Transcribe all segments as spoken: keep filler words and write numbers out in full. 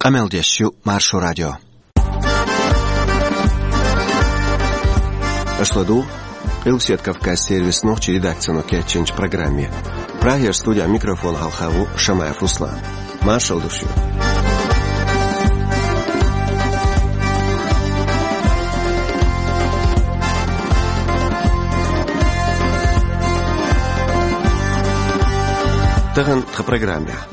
Къамел деш ю Маршо радио. Аша ладугӀу Къилбаседа Кавказан сервисан нохчийн редакцино кечйинчу программе. Прагера студехь микрофон хьалха ву Шамаев Руслан. Маршалла ду шуьга. Тахана тхан программехь.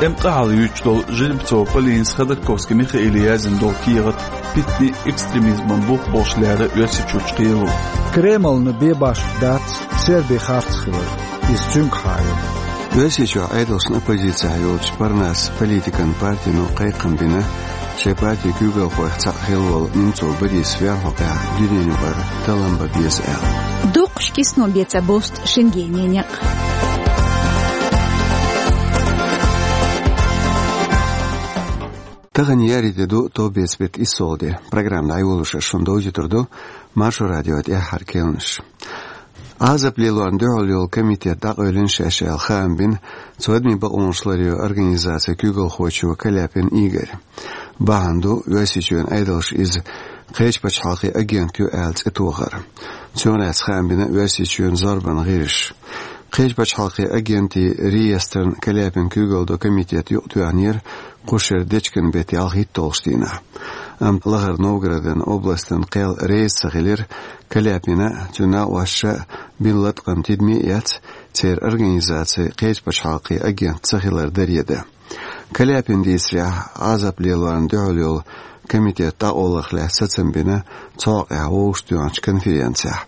ТӀеман къа хьалаюьйцуш долу Жеребцова Полинас Ходорковский Михаиле яздина долу кехат питане, экстремизмана бух болуш лерина Оьрсийчуьрчу кхело. Кремльна бен башха дац Сербин харц хилар. Иза цуьнга хьаьвзина. Оьрсийчохь Ӏедалшна оппозицехь йолчу Парнас политикан партино кхайкхам бина, шайн партин куьйгалхойх цхьаъ хилла волу Немцов Борис вер хьокъехь дуьненаюкъара таллам бан беза аьлла. Дукхахчу кисано бен ца бусту Шенгенан некъ. Тахана еарин де ду, товбеца беттан иссалгӀа де. Программа дӀайолош ас шуна довзуьйтур ду Маршо радион тӀаьххьара кхаьънаш. Ӏазап лелорна дуьхьал йолу комитет дӀакъевлина шаьш аьлла хаам бина цу адамийн бакъонаш ларъяран организацин куьйгалхочо Каляпин Игорьна. Бахьана ду, Оьрсийчоьнан Ӏедалша иза кхечу пачхьалкхийн агент ю аьлла цӀе тохар. Цунах лаьцна хаам бина Оьрсийчоьнан зорбанан гӀирсаша. Кхечу пачхьалкхийн агентийн реестрна Каляпин куьйгалла долу комитет юкъатоьхнера кху шеран дечкен беттан ялхитталгӀачу дийнахь. Амма Лахара Новгородан областан кхел реза ца хилира Каляпина а, цуьнан накъосташа а бина латкъам тидаме а эцна, церан организаци кхечу пачхьалкхийн агент ца хилар даре дан. Каляпина дийцарехь, Ӏазап лелорна дуьхьал йолу комитет дӀакъовларх лаьцна сацам бина цу хьокъехь вовшахтоьхначу конференцехь.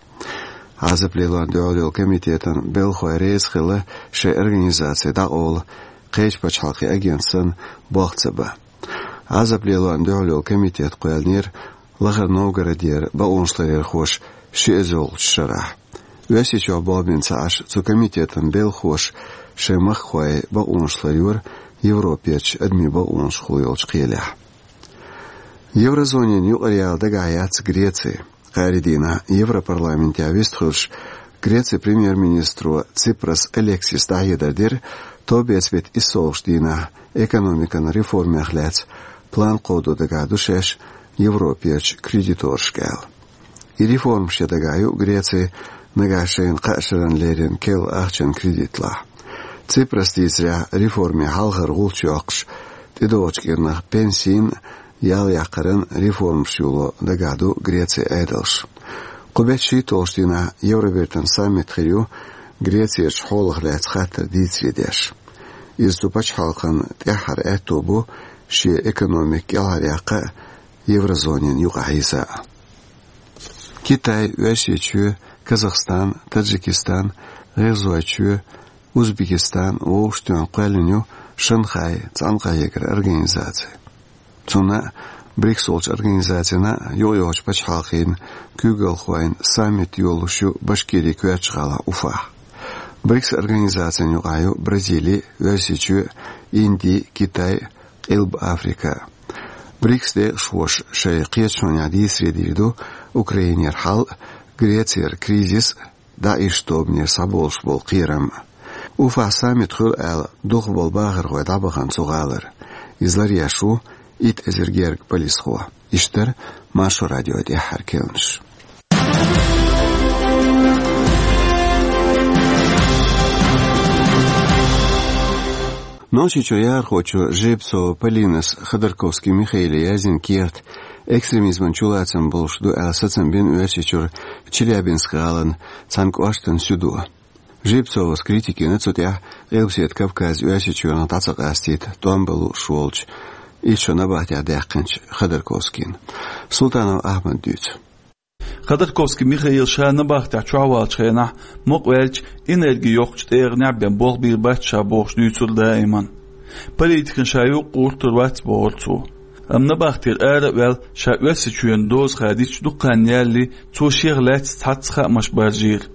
Ӏазап лелорна дуьхьал йолу комитетан белхалой реза хилла шайн организаци дӀакъовла кхечу пачхьалкхийн агент санна болх ца бан. Ӏазап лелорна дуьхьал йолу комитет кхоьллинера Лахара Новгородера бакъонашларъярхоша ши эзарлагӀчу шарахь. Оьрсийчохь болх бина ца Ӏаш, цу комитетан белхалоша шайн махкахой бакъонаш ларйора Европерчу адамийн бакъонашкахула йолчу кхелехь. Еврозонина юкъараяла дагахь яц Греци. Кхаарин дийнахь Европарламентехь вистхуьлуш, Грецин премьер-министро Ципрас Алексиса дӀахьедар дира товбеца беттан иссалгӀачу дийнахь экономикан реформех лаьцна план кховдо дагахь ду шаьш Европерчу кредиторашка аьлла. И реформаш ян дагахь ю Греци нагахь шайна кхаа шарна леррина керла ахчанан кредитлахь. Ципраса дийцарехь, реформийн хьалхара гӀулч йоккхуш, тӀедогӀучу кӀирнах пенсийн а ял яккхаран реформаш юло дагахь ду Грецин Ӏедалш. Кху беттан шийтталгӀачу дийнахь Евробертан саммит хир ю Грецерчу хьолах лаьцна хаттар дийцаре деш. Иза цу пачхьалкхан тӀаьххьара аьтто бу шен экономика кӀелхьаръяккха а, еврозонина юкъахь йиза а. Китай, Оьрсийчоь, Казахстан, Таджикистан, ГӀиргӀазойчоь, Узбекистан вовшахтоьхна кхоьллина ю Шанхай цхьаьнакъахьегаран организаци. Цунна а, БРИКС олучу организацина а юкъайогӀучу пачхьалкхийн куьйгалхойн саммит йолуш ю Башкирин коьртачу гӀалахь Уфахь. БРИКС организацина юкъахь ю Бразили, Оьрсийчоь, Инди, Китай, Къилба Африка. БРИКС декъашхоша шайн кхеташонехь дийцаре дийр ду Украинера хьал а, Грецера кризис а, ДАИШ тобанера схьаболуш болу кхерам а. Уфахь саммит хуьлу аьлла духу болу бахархой дӀабахана цу гӀалара. Иза ларъеш ву итт эзар гергга полисхо. Иштта дара Маршо радион тӀаьххьара кхаьънаш. Нохчийчуьра яхархочо Жеребцова Полинас Ходорковский Михаиле яздина кехат экстремизман чулацам болуш ду аьлла сацам бина Оьрсийчуьра Челябинск гӀалин цхьана кӀоштан суьдо. Жеребцовас критика йина цу тӀехь Къилбаседа Кавказ Оьрсийчоьнах дӀа ца къастийта тӀом бан лууш волчу, итт шо набахтехь даьккхинчу Ходорковскийна. Султанов Ахьмада дуьйцу. Ходорковский Михаила ша набахтехь чохь валлачу хенахь, мукъаваьлча, энерги йоккхучу тӀегӀанехь бен болх бийр бац ша бохуш дуьйцура даиман. Политикана ша юкъа гӀуртур вац бохура цо. Амма набахтера ара а ваьлла, ша Оьрсийчоьнан доза хадийча дукха хан ялале, цо шех лаьцна цхьацца хаамаш баржийра.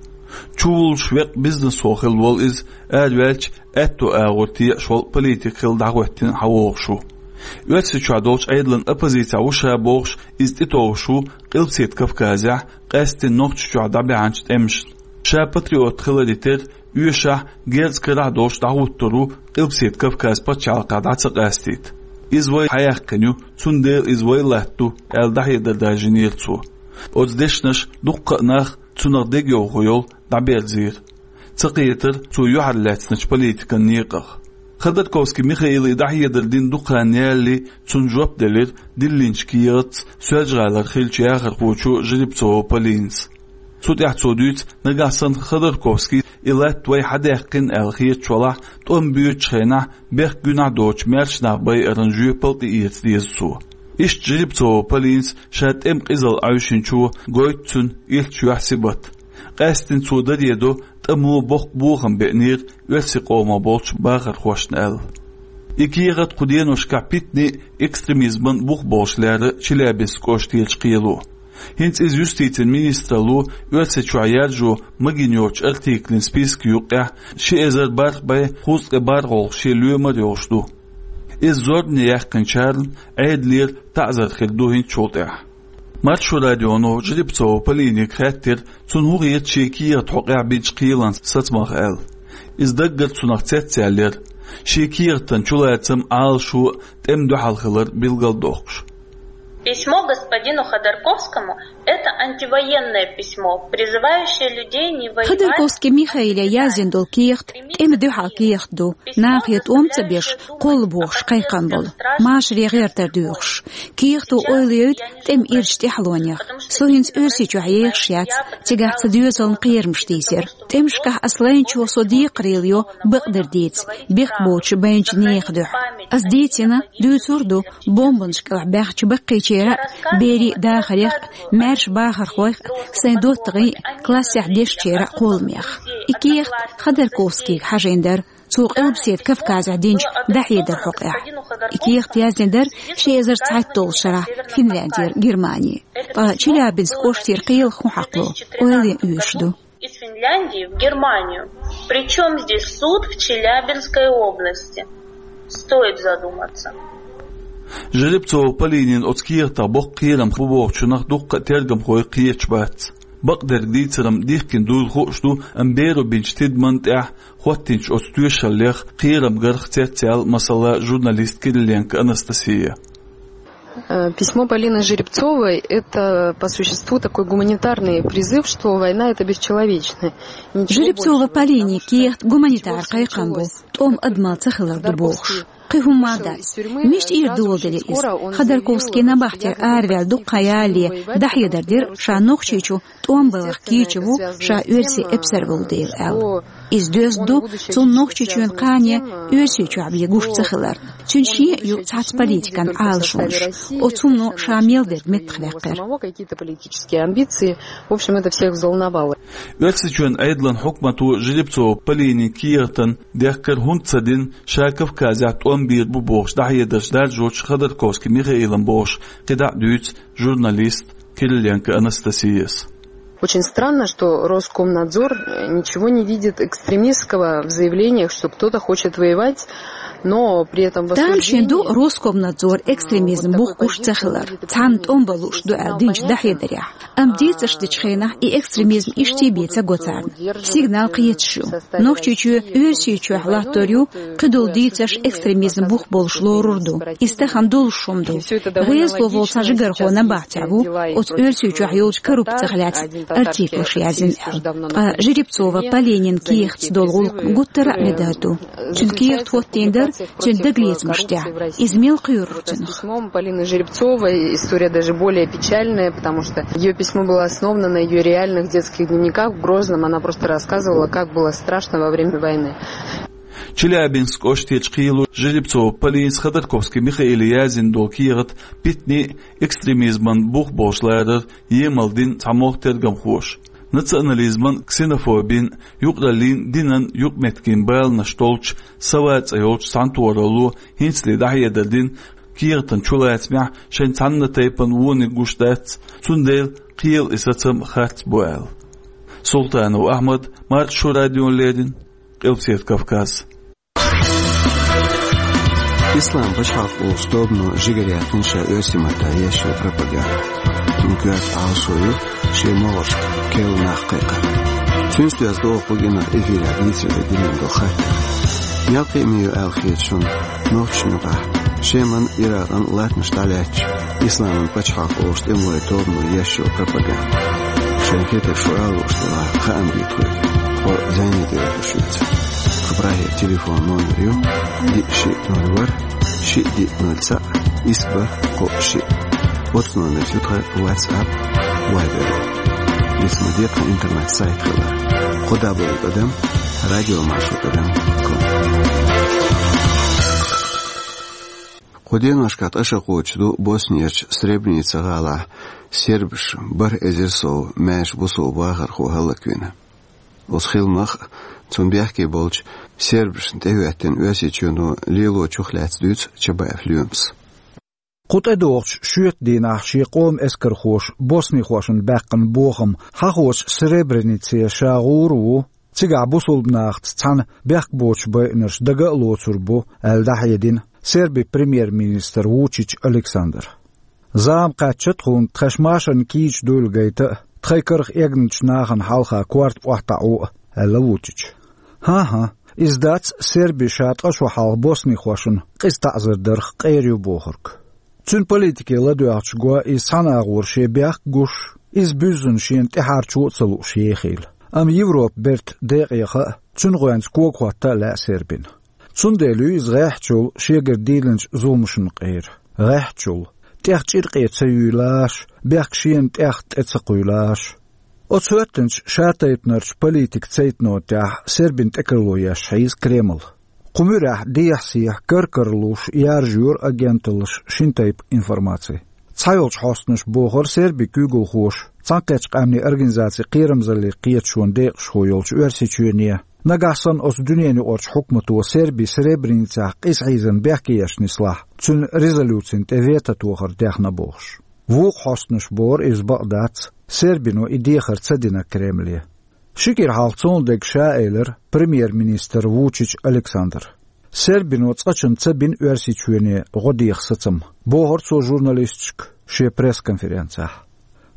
Чувуллуш веккъа бизнесхо хилла волу иза, араваьлча, аьтту агӀор текхаш волу политик хилла дӀахӀоьттина хьавогӀуш ву. Оьрсийчохь долчу Ӏедалан оппозицехь ву ша бохуш, иза тӀетовжуш ву Къилбаседа Кавказехь, къаьсттина Нохчийчохь дӀабаьхьначу тӀемашна. Ша патриот хиларе терра, оьшахь, герз карахь долуш дӀахӀуттур ву Къилбаседа Кавказ пачхьалкхехь дӀа ца къастийта. Иза вай хьаяьккхина ю, цундела иза вай латта ду, аьлла дӀахьедар даржийнера цо. Оцу дешнаша дуккха а нах, цунах дегайовхо йолу, дӀаберзийра. Ца кхетара цо юьхьарлаьцначу политикан некъах. Ходорковский Михаила и дӀахьедар дина дукха хан ялале, цунна жоп делира диллинчу кехатца Соьлжа-ГӀалара хиллачу яхархочо Жеребцова Полинас. Цу тӀехь цо дуьйцу, нагахь санна Ходорковский и латта вай хьадаьккхина аьлла хеташ валахь, тӀом боьдучу хенахь бехк гуьнахь доцучу маьрша нах байаран жоьпалла тӀеэца деза цо. Иштта Жеребцова Полинас ша тӀеман къизалла Ӏаьвшинчо гойту цуьнан иллачу юьхь-сибат. Къаьсттина цо даре до, тӀамо боккха бохам беънера оьрсийн къомах болчу бахархошна аьлла. И кехат кху деношкахь питане а, экстремизман а бух болуш лерира Челябинск кӀоштерчу кхело. ХӀинца иза юстицин министралло Оьрсийчохь яржо магийна йоцучу артиклан списка юккъехь ши эзар бархӀ бӀе кхузткъе бархӀалгӀа шен лоьмар а йолуш ду. Иза зорбане яьккхинчарна Ӏедалера таӀзар хир ду хӀинцачул тӀаьхьа. Маршо радионо Жеребцова Полинега хаьттира, цунна хӀун хета шен кехатан хьокъехь бинчу кхелан сацамах аьлла. Иза даггара цунах цецъяьллера. Шен кехатан чулацам, Ӏалашо а тӀеман дуьхьал хилар билгалдоккхуш. Письмо господину Ходорковскому — это антивоенное письмо, призывающее людей не воевать. Ходорковский Михаиле яздина долу кехат тӀеман дуьхьал кехат ду, нахе тӀом ца беш, кхолла бохуш кхайкхам болу, машаре гӀертар доьхуш. Кехато ойла йойту тӀеман ирчу тӀаьхьалонех. Со хӀинца Оьрсийчохь ехаш яц, цигахь цхьа доьзална кхерамаш тийсира. ТӀемашкахь ас лайначо со декхарийлахь йо бакъдерг дийца, бехк боцуш байначу нехан дуьхьа. Ас дийцина, дуьйцур а ду, бомбанаш кӀелахь баьхначу баккхийчеран а, берийн а дахарех а, маьрша бахархойх а, сайн доттагӀийн а, классехь дешначеран а кхолламех. И кехат Ходорковскийга хьажийна дара, цо Къилбаседа Кавказехь динчу дӀахьедаран хьокъехь. И кехат яздина дара ши эзар цхьайтталгӀачу шарахь Финляндера Германе. Ткъа Челябинск кӀоштера кхелах хӀун хьакхало, ойла ян оьшуш ду. Из Финляндии в Германию. Причём здесь суд в Челябинской области? Стоит задуматься. Жеребцова Полинин оцу кехатах боккха кхерам бу бохучунах дуккха а тергамхой кхеташ бац. Бакъдерг дийцаран дихкина дуйла хууш ду, амма беро бинчу тидамна тӀехь хӀоттийначу оцу тоьшаллех кхерам гарх цецъяьлла, масала, журналист Кириленко Анастасия. Э, письмо Полины Жеребцовой — это, по существу, такой гуманитарный призыв, что война — это бесчеловечное. Жеребцова Полинин кехат гуманитар кхайкхам бу, тӀом адамал ца хилар ду бохуш. Кхин хӀумма а дац. Мича тӀера доладелира иза? Ходорковский набахтера араваьлла дуккха хан ялале дӀахьедар дира, ша Нохчийчу тӀом балхах кийча ву, ша оьрсийн эпсар волу дела аьлла. Иза доьзна ду цунна Нохчийчоьнан кхане Оьрсийчохь бен гуш ца хиларна. Цуьнан шен а ю цхьацца политикан Ӏалашонаш. Оцу хӀумано ша мел дерг меттахваьккхира. Оьрсийчоьнан Ӏедалан хьукмато Жеребцова Полинин кехатан дехкар хӀунда ца дина, ша Кавказехь тӀом бийр бу бохуш дӀахьедарш даржочу Ходорковский Михаилан бохуш кхидӀа а дуьйцу журналист Кириленко Анастасияс. Очень странно, что Роскомнадзор, э, ничего не видит экстремистского в заявлениях, что кто-то хочет воевать, но при этом в... Тамашийна ду Роскомнадзор экстремизм бух гуш ца хилар, цхьанна тӀом балуш ду аьлла динчу дӀахьедарехь. Амма дийцарш дечу хенахь и экстремизм иштта бен ца го царна. Сигнал кхеташ ю. Нохчийчоь Оьрсийчохь латтор ю, кхидолу дийцарш экстремизм бух болуш лорур ду. Иза тахана долуш хӀума ду. ГӀезало волу цхьа жигархо набахтехь ву, оцу Оьрсийчохь йолчу коррупцих лаьцна артиклаш яздина аьлла. Ткъа Жеребцова Полинин кехатца долу гӀуллакх гуттара а медар ду. Цуьнан кехат хӀоттийна дара цуьнан дагалецамаш тӀехь. Иза мел кхоьрура цунах. Письмом Полины Жеребцовой история даже более печальная, потому что её письмо было основано на её реальных детских дневниках в Грозном. Она просто рассказывала, как было страшно во время войны. Челябинск кӀоштарчу кхело Жеребцова Полинас Ходорковский Михаиле яздина долу кехат питане а, экстремизман бух болуш ларар емал дина цхьамогӀа тергамхоша. Национализман, ксенофобин, юкъараллин, динан юкъаметтиган баланаш долчу «Сова» цӀе йолчу цхьаьнатохаралло хӀинцале дӀахьедар дина, кехатан чулацамехь шайн цхьана тайпана вониг гуш дац, цундела кхелан и сацам харц бу аьлла. Султанов Ахьмад, Маршо радиона леррина, Къилбаседа Кавказ. Ислам пачхьалкх волчу тобано жигара яьккхина ша оьрсийн маттахь еш йолу пропаганда. Цуьнан коьрта Ӏалашо ю шен могӀаршка керла нах кхайкхар. Цуьнца доьзна догӀу кху генахь эфирехь дийцаре динан до хаттар. Мел кхиъна ю аьлла хета шуна нохчашна юкъахь Шеман, Иракъан латтанаш дӀалаьцча, исламан пачхьалкх олуш тӀемалойн тобано еш йолу пропаганда. Шайн хетарг шу ала лууш делахь, хаам бе тхоьга, тхо зӀене тӀе оьхуш яц. Тхан прагера телефон номер ю: диъ шиъ ноль ворхӀ, шиъ диъ ноль цхьаъ, исс бархӀ кхоъ шиъ. Оцу номерца ю тхан WhatsApp, Viber. Диц ма де тхан интернет-сайт хилар: кхо дабл-ю тӀадам радиомаршо тӀадам ком. Кху деношкахь ткъа шо кхочуш ду Боснерчу Сребреница гӀалахь сербаш бархӀ эзар сов маьрша бусалба вахархо хӀаллаквина. Оцу хиламах а, цунна бехке болчу сербашна тӀехӀоьттина Оьрсийчоьно лелочух лаьцна дуьйцу Чабаев Лоьмас. Кху тӀедогӀучу шоьтан дийнахь шен къоман эскархоша боснихошна баьккхина бохам хьахочу Сребренице ша гӀур а ву, цигахь бусалба нахаца цхьаьна бехк боцуш байинарш дага а лоцур бу, аьлла дӀахьедина Сербин премьер-министр Вучич Александра. Зама кхаьчча тхуна тхаьш машарна кийча дуйла гайта а, тхайн карах эгначу нахана хьалха корта охьатаӀо а, аьлла Вучича. ХӀан-хӀа, иза дац Серби ша ткъа шо хьалха боснихошна къиза таӀзар дарх къера ю бохург. Цуьнан политике ладоьгӀча го иза цхьана агӀор шен бехк гуш, иза буьззина шена тӀаьхьарчо а ца лууш ехийла. Амма Европа бертан декъе хаа, цуьнан гӀоьнца кога хӀотта а лаьа Сербина. Цундела ю иза гӀеххьачул шегара дийлинчу зуламашна къера. ГӀеххьачул. ТӀех чӀиркъе ца юьйлаш, бехк шена тӀех тӀе ца кхуьйлаш. Оцу хӀоьттинчу шатайпанарчу политикан цейтано тӀехь Сербина тӀекарло еш хьийза Кремль. Кху муьрехь дехьа-сехьа кар-кара луш яржайора агенталлаша шина тайпа информаци. Цхьайолчу хьостанаша бохура Сербин куьйгалхоша Цхьаьнакхеттачу Къаьмнийн Организацин кхерамзаллин кхеташонан декъашхо йолчу Оьрсийчоьне, нагахь санна оцу дуьненаюкъарчу хьукмато Серби Сребреницехь къиза хьийзина бехке еш нислахь, цуьнан резолюцина тӀе вето тохар дехна бохуш. Вукху хьостанаша бохура иза бакъ дац, Сербино и дехар ца дина Кремле. Ши кӀира хьалха цунна дерг ша элира премьер-министр Вучич Александра. Сербино цкъачунна ца бина Оьрсийчоьне гӀо деха сацам, бохура цо журналисташка шен пресс-конференцехь.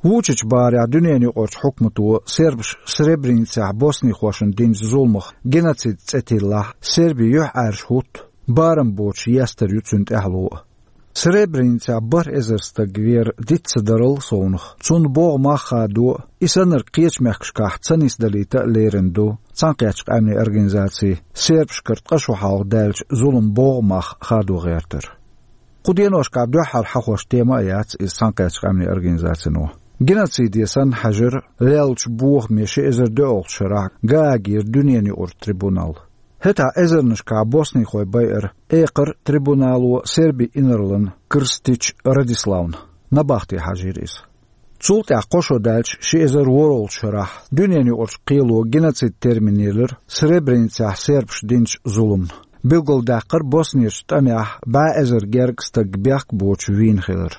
Вучича бахарехь дуьненаюкъарчу хьукмато сербаш Сребреницехь боснихошна динчу зуламах геноцид цӀе тиллахь, Серби юьхьӀаьржа хӀутту, барам боцуш естар ю цуьнан тӀаьхьало а. Сребреницехь бархӀ эзар стаг вер диц ца дарал совнах, цунна богӀу мах хадо а, и саннарг кхечу мехкашкахь ца нисдалийта а лерина ду Цхьаьнакхеттачу Къаьмнийн Организаци сербашкара ткъа шо хьалха даьллачу зуламан богӀу мах хадо гӀертар. Кху деношкахь дуьххьара хьахош тема а яц иза Цхьаьнакхеттачу Къаьмнийн Организацино. Геноциде санна хьаьжира леллачу бохаме ши эзар доьалгӀачу шарахь Гаагера дуьненаюкъара трибунал. ХӀетахь эзарнашкахь боснихой байара экхар трибунало Сербин инарлан Крстич Радиславна набахте хьажийра иза. Цул тӀаьхьа кхо шо даьлча ши эзар ворхӀалгӀачу шарахь дуьненаюкъарчу кхело геноцид термин елира Сребреницехь сербаша динчу зуламна. Билгалдаьккхира Боснерчу тӀамехь бӀе эзар гергга стаг бехк боцуш вийна хилар.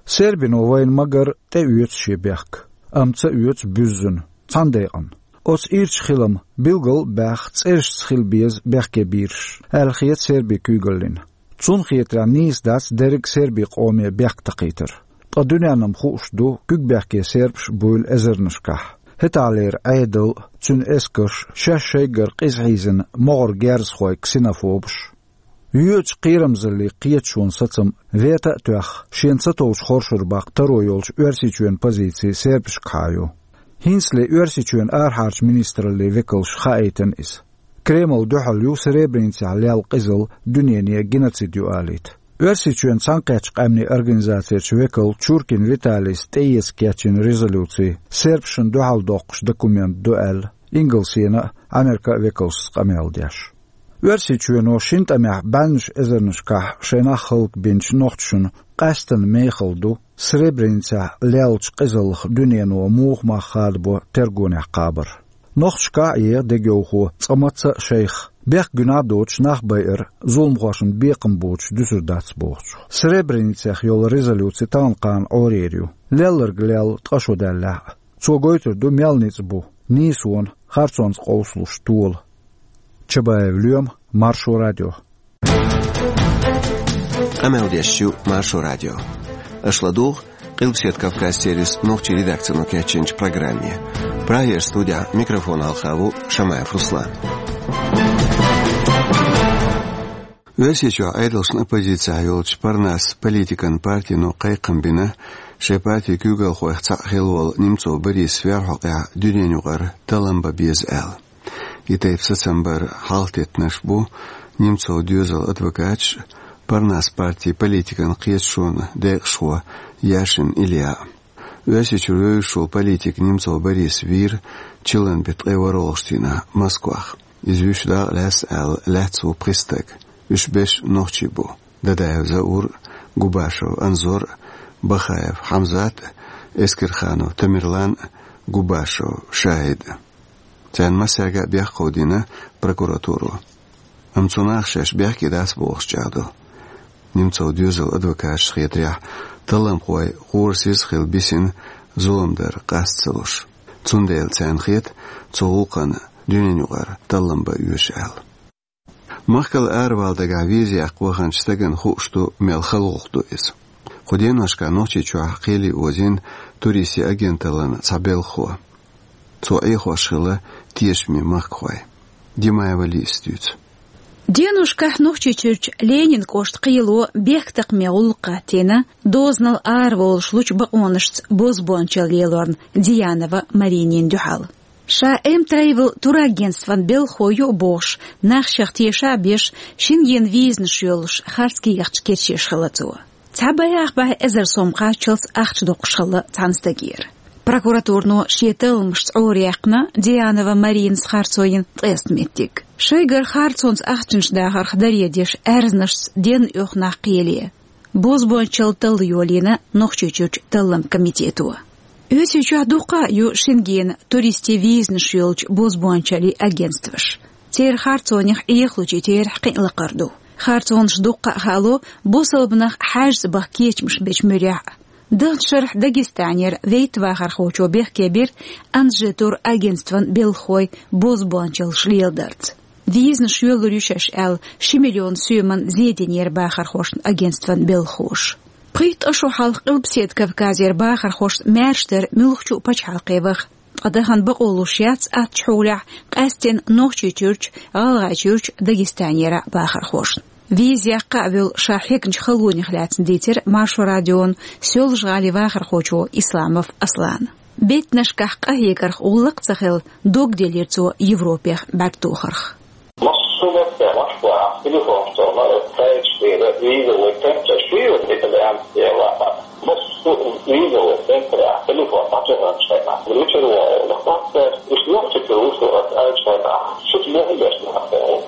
Сербино вайна ма-гарра тӀеоьцу шен бехк, амма ца оьцу буьззина, цхьана декъана. Оцу ирчу хилам билгал а баьхна цӀерашца хила беза бехке бийраш, аьлла хета Сербин куьйгаллина. Цунна хетарехь нийса дац дерриг а сербийн къоме бехк такхийтар. Ткъа дуьненна-м хууш ду, куьг бехке сербаш буйла эзарнашкахь. ХӀетахьлера Ӏедал а, цуьнан эскарш а, шаьш шайгара къиза хьийзина могӀара герзахой, ксенофобаш. Йоьдучу кхерамзаллин кхеташонан сацам вето а тоьхна, шена ца товчу хоршур баккха таро йолчу Оьрсийчоьнан позици сербашкахьа ю. ХӀинцале Оьрсийчоьнан арахьарчу министраллин векалша хаийтина иза. Кремль дуьхьал ю Сребреницехь лелла къизалла дуьнене геноцид ю алийта. Оьрсийчоьнан Цхьаьнакхеттачу Къаьмнийн Организацерчу векало Чуркин Виталийс тӀеэца кечйина резолюци сербашна дуьхьал доккхуш документ ду аьлла, Ингалсена а, Америка а векалшца къамел деш. Оьрсийчоьно шина тӀамехь бӀеннаш эзарнашкахь шайн нах хӀаллакбинчу нохчашна къаьсттина мехала ду Сребреницехь леллачу къизаллах дуьнено муха мах хадабо тергонехь кхабар. Нохчашкахь а еха дегайовхо цкъа мацца а шайх, бехк гуьнахь а доцуш нах байар зуламхошна бекхам боцуш дуьсур дац бохучух. Сребреницех йолу резолюци тахана-кхана Ӏорийр ю, лелларг лелла ткъа шо даьллехь а. Цо гойтур ду мел ницкъ бу нийсонан, харцонца къовсалуш тола. Чабаев Лоьма, Маршо радио. Къамел деш ю Маршо радио. Аша ладугӀу Къилбаседа Кавказ сервисан нохчийн редакцино кечйинчу программе. Прагера студехь микрофон хьалха ву Шамаев Руслан. Оьрсийчохь Ӏедалшна оппозицехь йолчу Парнас политикан партино кхайкхам бина, шайн партин куьйгалхойх цхьаъ хилла волу Немцов Борис верхьокъехь дуьненан юкъара таллам бан беза аьлла. И тайпа сацам бар хьалхатеттинарш бу Немцовн доьзалан адвокаташ а, Парнас партин политикан кхеташонан декъашхо Яшин Илья а. Оьрсийчуьра вевзаш волу политик Немцов Борис вийра чиллан беттан ткъе ворхӀалгӀачу дийнахь Москвахь. Иза вуьйш дакъа лаьцна аьлла лаьцна ву пхи стаг. Уьш берш нохчий бу: Дадаев Заур а, Губашев Анзор а, Бахаев Хьамзат а, Эскерханов Тамерлан а, Губашев Шаид а. Царна массаьрга а бехк кховдийна прокуратуро. Амма цу наха шаьш бехке дац бохуш чӀагӀдо. Немцовн доьзалан адвокаташна хетарехь, талламхой къорасиз а хилла бисина зулам дар къаста ца луш. Цундела царна хета цу гӀуллакхана дуьненан юкъара таллам бан оьшу аьлла. Махкал аравала дагахь виза яккха ваханчу стагана хууш ду, мел хала гӀуллакх ду иза. Кху деношкахь Нохчийчохь кхеле озийна туристийн агенталлин цхьа белхахо. Цо Ӏехош хилла тешаме махкахой. Димаева Лизас дуьйцу. Деношкахь Нохчийчуьрчу Ленинан кӀоштан кхело бехктакхаман гӀуллакх хӀоттийна дозанал араволуш лучу бакъонашца бозбуунчалла лелорна Дианова Маринина дуьхьал. Ша М-Travel турагентстван белхахо ю а бохуш, нах шех теша а беш, Шенгенан визанаш йолуш харц кехаташ кечъеш хилла цо. Цхьа бӀе ах бӀе эзар сом кхаччалц ахча доккхуш хилла цхьана стагера. Прокуратуро шен талламашца Ӏораяьккхина Дианова Маринас харцо йина ткъеста меттиг. Шайгара харцонца ахчанаш дахарх даре деш аьрзнашца денна оьху нах кхеле. Бозбуунчалла талла йолийна Нохчийчуьрчу талламан комитето. Оьрсийчохь дуккха а ю Шенгенан туристийн визанаш йолчу бозбуунчаллин агентстваш. Церан харцонех Ӏехалучийн терахь кхин а лакхара ду. Харцонаш дуккха а хаало бусалба нах хьаьжцӀа баха кечамаш бечу муьрехь а. Даханчу шарахь Дагестанера вейтта вахархочо бехке бира Анжи турагентстван белхахой бозбуунчаллаш леладарца. Визанаш йоьллур ю шаьш аьлла, ши миллион соьман зен динера бахархошна агентстван белхахоша. Пхийтта шо хьалха Къилбаседа Кавказера бахархошна маьрша дара муьлххачу а пачхьалкхе ваха. Ткъа дахана бакъо луш яц аттачу хьолехь къаьсттина Нохчийчуьрчу, ГӀалгӀайчуьрчу, Дагестанера бахархошна. Виза яккха а волу ша хьегначу халонех лаьцна дийцира Маршо радиона Соьлжа-ГӀалин вахархочо Исламов Аслана. Беттанашкахь къахьегарх гӀуллакх а ца хилла, дог делира цо Европех бӀаьрг тохарх. Массо а меттехь Москвахь телефон чохь ма-, сайт шуьйра, визовый центр шуьйра, итальянский вахар. Массо а визовый центрехь телефон дӀатухуш хенахь, вичара вогӀу, лакхахь, уьш нохчи чуьра вуьшуш ву аса аьллачу хенахь, шуьца бохам беш нах боху.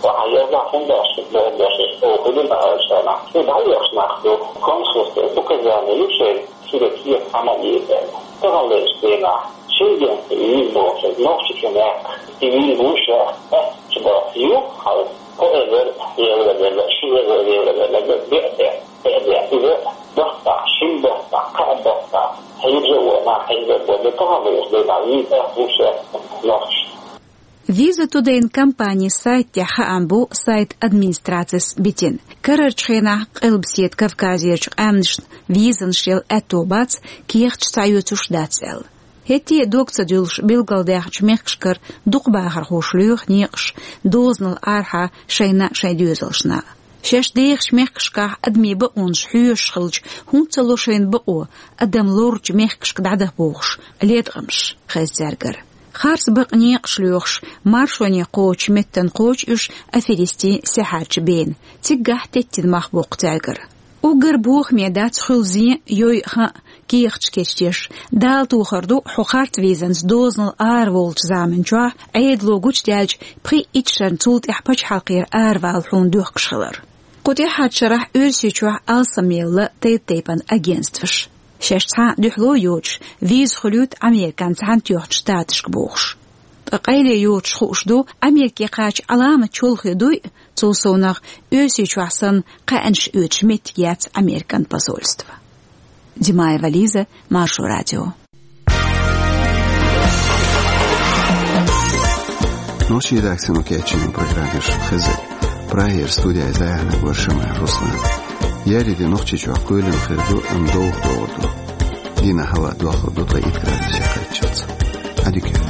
Ваха еза хӀунда шуьца бохам беш, оха хӀун ду аьллачу хенахь, шу дӀаоьхуш нах ду, консульство, указание ю шайн. Шуьга кехат хьа ма еза. Таханлерчу дийнахь Шенгенца виза бохуш Нохчийчу мехкан и виза вуш аьлла, аьттачу бахьа ю хьал кхо эзар евро делла, ши эзар евро делла, беа де, беа де. Иза баттахь, шина баттахь, кхаа баттахь, хьежа а вон, нах хьежа а вон, таханлерчу дийнахь виза аьтта вуш аьлла Нохчийчу. Виза Тудейн компанин сайт тӀехь хаам бу сайт администрацис битина. Карарчу хенахь Къилбаседа Кавказерчу къаьмнашна визанаш яла аьтто бац, кехаташ схьаоьцуш дац аьлла. ХӀетте а дог ца дуьллуш билгалдаьхначу мехкашкара дукха бахархоша лоьху некъаш дозанал арахьа шайна а, шайн доьзалшна а. Шаьш дехачу мехкашкахь адамийн бакъонаш хьоьшуш хилча, хӀунда ца ло шайна бакъо, адам лоручу мехкашка дӀадаха бохуш, леткъамаш хеза цаьргара. Харц бакъ некъаш лоьхуш, маршоне кхочучу меттана кхочу уьш аферистийн саьхьарчу бена. Циггахь теттина мах боккху цаьргара. Уггар бохаме дац хуьлу зен, йой а, хан а кехаташ кечдеш. Дала тохар ду, хьо харц визанца дозанал араволучу заманчохь Ӏедало гучудаьлча пхи итт шарна цул тӀаьхьа пачхьалкхера аравала хьуна доьхкуш хилар. Кху тӀаьхьарчу шарахь Оьрсийчохь алсамъелла тайп-тайпана агентстваш. Шаьш цхьа а дуьхьало йоцуш, виза хуьлуьйту Американ Цхьаьнатоьхначу Штаташка бохуш. Ткъа къайле йоцуш хууш ду, Америке кхача Ӏаламат чолхе дуй а, цул совнах Оьрсийчохь санна кхаьънаш оьцуш меттиг яц Американ посольство. Димаева Лиза, Маршо радио. Нохчийн редакцино кечйина программа шу хезира. Прагера студехь зӀе хьанаг вара Шамаев Руслан. Яри де Нохчийчохь кхоьлина хир ду, амма довха догӀур ду. Дийнахь хӀаваъ дохлур ду ткъе итт градусе кхаччалц. Ӏадика.